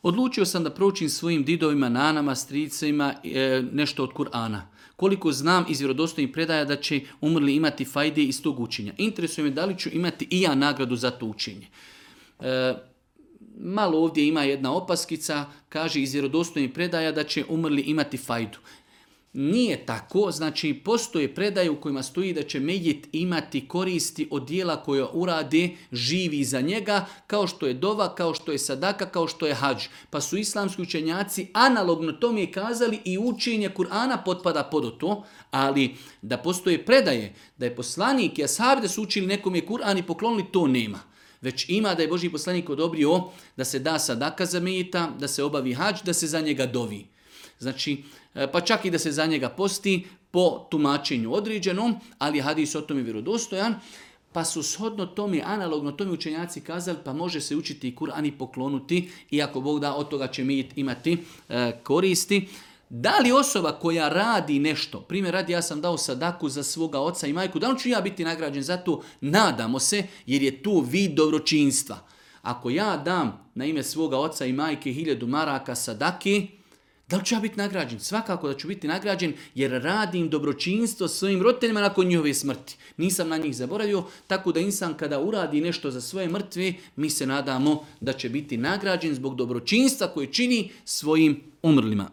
Odlučio sam da proučim svojim didovima, nanama, stricima nešto od Kur'ana. Koliko znam iz vjerodostojnih predaja da će umrli imati fajde iz tog učenja. Interesuje me da li ću imati i ja nagradu za to učenje. Malo ovdje ima jedna opaskica, kaže iz vjerodostojnih predaja da će umrli imati fajdu. Nije tako, znači postoje predaje u kojima stoji da će mejit imati koristi od dijela koje urade živi za njega, kao što je dova, kao što je sadaka, kao što je hadž. Pa su islamski učenjaci analogno tome kazali i učenje Kur'ana potpada pod to, ali da postoje predaje, da je poslanik i ashabi da su učili nekome Kur'an i poklonili, to nema. Već ima da je Božji poslanik odobrio da se da sadaka za mejita, da se obavi hadž, da se za njega dovi. Znači, pa čak i da se za njega posti po tumačenju određenom, ali hadis o tome vjerodostojan, pa su shodno tome, analogno tome učenjaci kazali, pa može se učiti i Kur'an i poklonuti, i ako Bog da, od toga će mi imati koristi. Da li osoba koja radi nešto, primjer radi, ja sam dao sadaku za svoga oca i majku, da li ću ja biti nagrađen za to? Nadamo se, jer je tu vid dobročinstva. Ako ja dam na ime svoga oca i majke 1000 maraka sadaki, da li ću ja biti nagrađen? Svakako da ću biti nagrađen jer radim dobročinstvo svojim roditeljima nakon njihove smrti. Nisam na njih zaboravio, tako da insan kada uradi nešto za svoje mrtve, mi se nadamo da će biti nagrađen zbog dobročinstva koje čini svojim umrlima.